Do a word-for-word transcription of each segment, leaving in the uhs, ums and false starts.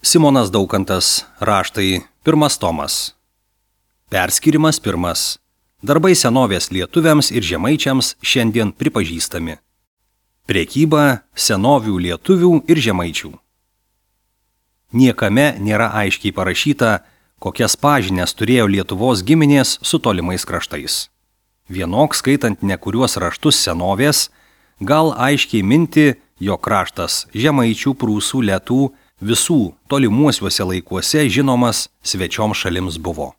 Simonas Daukantas, raštai, pirmas tomas. Perskirimas pirmas. Darbai senovės lietuviams ir žemaičiams šiandien pripažįstami. Prekyba senovių lietuvių ir žemaičių. Niekame nėra aiškiai parašyta, kokias pažinias turėjo Lietuvos giminės su tolimais kraštais. Vienok skaitant nekuriuos raštus senovės, gal aiškiai minti, jog kraštas žemaičių, prūsų, lietų visų tolimuosiuose laikuose žinomas svečiom šalims buvo.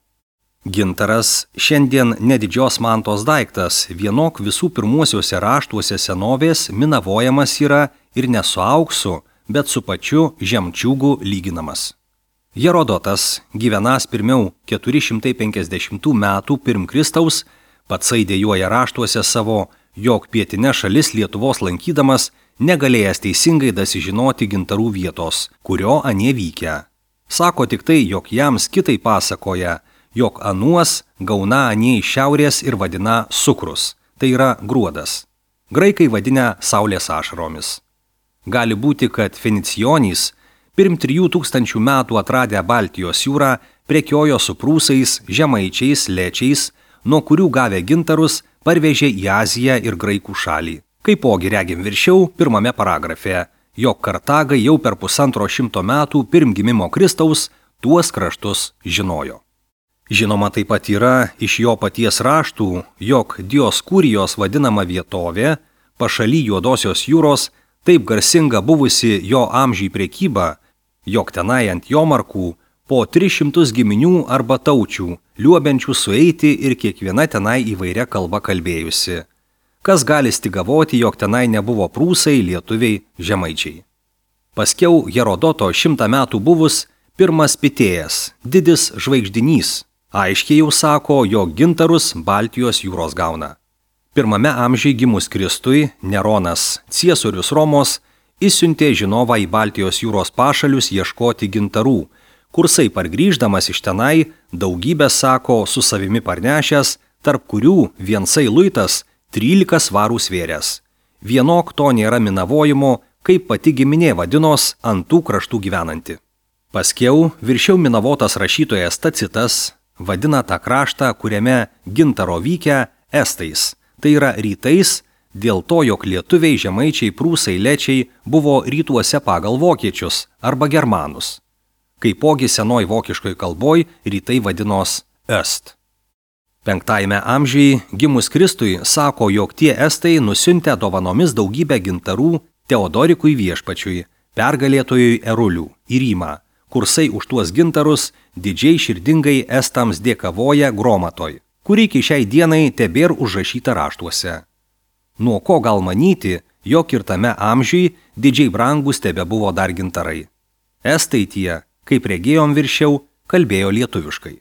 Gintaras šiandien nedidžios mantos daiktas, vienok visų pirmuosiuose raštuose senovės minavojamas yra ir ne su auksu, bet su pačiu žemčiūgu lyginamas. Herodotas, gyvenas pirmiau keturi šimtai penkiasdešimtų metų pirm Kristaus, patsai dėjuoja raštuose savo, jog pietinė šalis Lietuvos lankydamas negalėjęs teisingai dasižinoti gintarų vietos, kurio anie vykę. Sako tik tai, jog jams kitai pasakoja, jog anuos gauna anie iš šiaurės ir vadina sukrus, tai yra gruodas. Graikai vadina saulės ašaromis. Gali būti, kad fenicijonys pirm trijų tūkstančių metų atradę Baltijos jūrą prekiojo su prūsais, žemaičiais, lečiais, nuo kurių gavę gintarus parvežė į Aziją ir graikų šalį. Kaipogi regim viršiau pirmame paragrafe, jog Kartagai jau per pusantro šimto metų pirm gimimo Kristaus tuos kraštus žinojo. Žinoma taip pat yra iš jo paties raštų, jog Dioskūrijos vadinama vietovė, pašaly Juodosios jūros, taip garsinga buvusi jo amžiai prekyba, jog tenai ant jomarkų po tris šimtus giminių arba taučių, liuobenčių sueiti ir kiekviena tenai įvairia kalba kalbėjusi. Kas gali stigavoti, jog tenai nebuvo prūsai, lietuviai, žemaičiai. Paskiau Herodoto šimtą metų buvus pirmas Pitėjas, didis žvaigždinys, aiškiai jau sako, jog gintarus Baltijos jūros gauna. Pirmame amžiai gimus Kristui, Neronas, ciesorius Romos, išsiuntė žinovą į Baltijos jūros pašalius ieškoti gintarų, kursai pargrįždamas iš tenai daugybę sako su savimi parnešęs, tarp kurių viensai luitas trylika svarų svėręs. Vienok to nėra minavojimo, kaip pati giminė vadinos ant tų kraštų gyvenanti. Paskiau viršiau minavotas rašytojas Tacitas vadina tą kraštą, kuriame gintaro vykę estais, tai yra rytais, dėl to, jog lietuviai, žemaičiai, prūsai, lečiai buvo rytuose pagal vokiečius arba germanus. Kaipogi senoj vokiškoj kalboj rytai vadinos est. Penktajame amžiai gimus Kristui sako, jog tie estai nusiuntė dovanomis daugybę gintarų Teodorikui viešpačiui, pergalėtojui Erulių, į Rymą, kursai už tuos gintarus didžiai širdingai estams dėkavoja Gromatoj, kuri iki šiai dienai tebėr užrašyta raštuose. Nuo ko gal manyti, jog ir tame amžiui didžiai brangus tebebuvo dar gintarai. Estai tie, kaip regėjom viršiau, kalbėjo lietuviškai.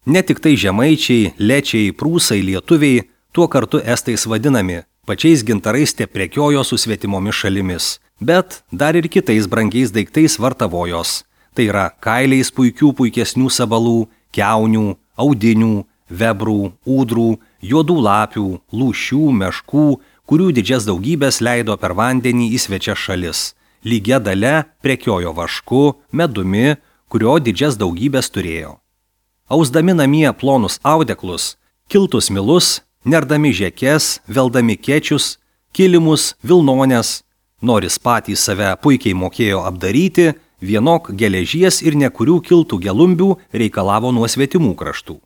Ne tik tai žemaičiai, lečiai, prūsai, lietuviai, tuo kartu estais vadinami, pačiais gintarais te prekiojo su svetimomis šalimis, bet dar ir kitais brangiais daiktais vartavojos, tai yra kailiais puikių puikesnių sabalų, kiaunių, audinių, vebrų, ūdrų, juodų lapių, lūšių, meškų, kurių didžias daugybės leido per vandenį į svečias šalis. Lygia dalia prekiojo vašku, medumi, kurio didžias daugybės turėjo. Ausdami namie plonus audeklus, kiltus milus, nerdami žekes, veldami kečius, kilimus, vilnones, noris patys save puikiai mokėjo apdaryti, vienok geležies ir nekurių kiltų gelumbių reikalavo nuo svetimų kraštų.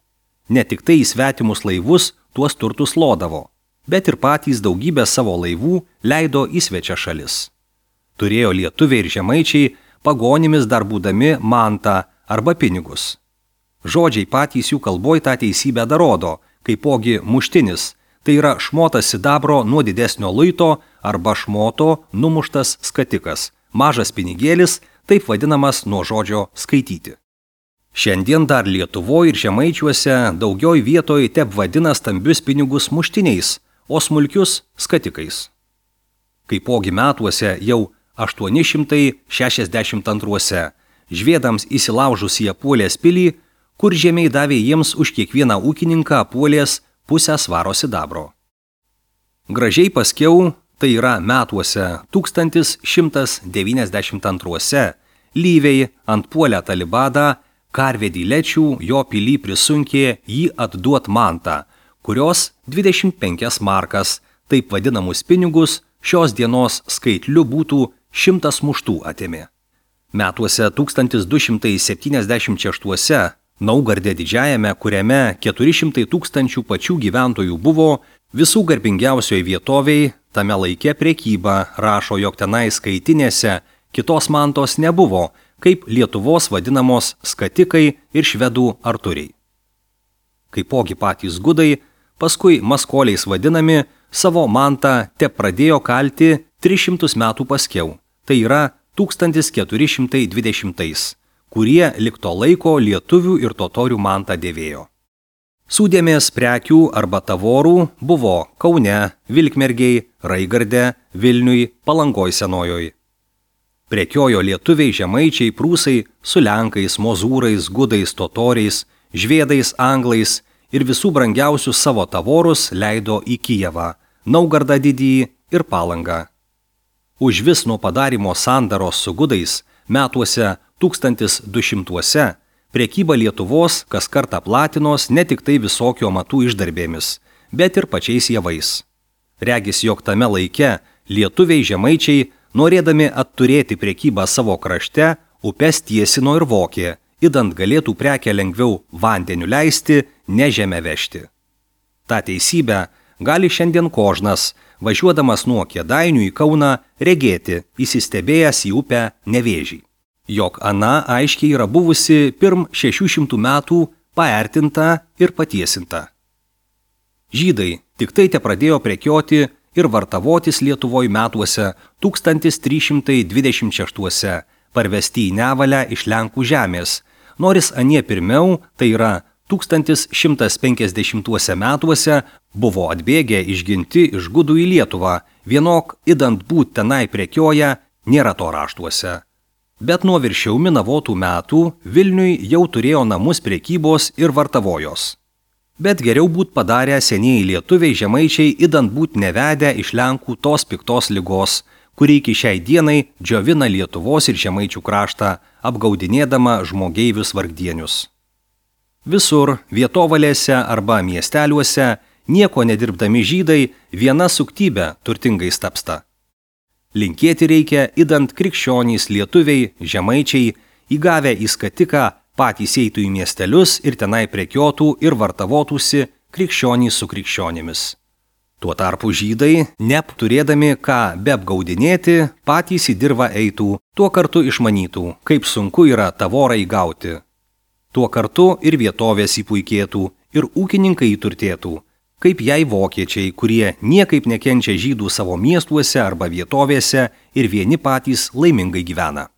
Ne tik tai į svetimus laivus tuos turtus lodavo, bet ir patys daugybę savo laivų leido į svečias šalis. Turėjo lietuviai ir žemaičiai pagonimis dar būdami mantą arba pinigus. Žodžiai patys jų kalboj tą teisybę darodo, kaipogi muštinis, tai yra šmotas sidabro nuo didesnio luito arba šmoto numuštas skatikas, mažas pinigėlis, taip vadinamas nuo žodžio skaityti. Šiandien dar Lietuvoje ir žemaičiuose daugioj vietoj tep vadina stambius pinigus muštiniais, o smulkius skatikais. Kaipogi metuose jau aštuoni šimtai šešiasdešimt antruose, žviedams įsilaužus į Apuolės pilį, kur žemiai davė jiems už kiekvieną ūkininką Apuolės pusę svaro sidabro. Gražiai paskiau, tai yra metuose tūkstantis šimtas devyniasdešimt antruose, Lyviai antpuolę Talibadą, karvedį lečių, jo pilį prisunkė jį atduot mantą, kurios dvidešimt penkias markas, taip vadinamus pinigus, šios dienos skaitliu būtų šimtas muštų atėmė. Metuose tūkstantis du šimtai septyniasdešimt šeštuose Naugarde didžiajame, kuriame keturi šimtai tūkstančių pačių gyventojų buvo, visų garbingiausioje vietoviai, tame laike prekyba rašo, jog tenai skaitinėse kitos mantos nebuvo, kaip Lietuvos vadinamos skatikai ir švedų arturiai. Kaipogi patys gudai, paskui maskoliais vadinami, savo mantą te pradėjo kalti tris šimtus metų paskiau, tai yra tūkstantis keturi šimtai dvidešimtais, kurie lik to laiko lietuvių ir totorių mantą dėvėjo. Sūdėmės prekių arba tavorų buvo Kaune, Vilkmergėj, Raigarde, Vilniuj, Palangoj senojoj. Prekiojo lietuviai, žemaičiai, prūsai su lenkais, mozūrais, gudais, totoriais, žvėdais, anglais ir visų brangiausius savo tavorus leido į Kijevą, Naugardą didįjį ir Palangą. Už vis nuo padarimo sandaros su gudais metuose tūkstantis du šimtuose prekyba Lietuvos kas kartą platinos ne tik tai visokio matų išdarbėmis, bet ir pačiais javais. Regis, jog tame laike lietuviai žemaičiai, norėdami atturėti prekybą savo krašte, upes tiesino ir vokė, idant galėtų prekę lengviau vandeniu leisti, ne žemę vežti. Ta teisybę gali šiandien kožnas, važiuodamas nuo Kėdainių į Kauną, regėti, įsistebėjęs į upę Nevėžį. Jog ana aiškiai yra buvusi pirm šešių šimtų metų paertinta ir patiesinta. Žydai tik tai te pradėjo prekioti ir vartavotis Lietuvoj metuose tūkstantis trys šimtai dvidešimt šeštuose, parvesti į Nevalę iš Lenkų žemės, noris anie pirmiau, tai yra tūkstantis šimtas penkiasdešimtuose metuose, buvo atbėgę išginti iš gudų į Lietuvą, vienok idant būt tenai prekioja, nėra to raštuose. Bet nuo viršiau minavotų metų Vilniui jau turėjo namus prekybos ir vartavojos. Bet geriau būt padarę senieji lietuviai žemaičiai, idant būt nevedę iš Lenkų tos piktos ligos, kuri iki šiai dienai džiovina Lietuvos ir žemaičių kraštą, apgaudinėdama žmogeivius vargdienius. Visur, vietovalėse arba miesteliuose, nieko nedirbdami žydai viena suktybė turtingais tapsta. Linkėti reikia, idant krikščionys, lietuviai, žemaičiai, įgavę į skatiką, patys eitų į miestelius ir tenai prekiotų ir vartavotųsi krikščionys su krikščionimis. Tuo tarpu žydai, neapturėdami ką beapgaudinėti, patys į dirvą eitų, tuo kartu išmanytų, kaip sunku yra tavorą įgauti. Tuo kartu ir vietovės įpuikėtų, ir ūkininkai įturtėtų, kaip jai vokiečiai, kurie niekaip nekenčia žydų savo miestuose arba vietovėse ir vieni patys laimingai gyvena.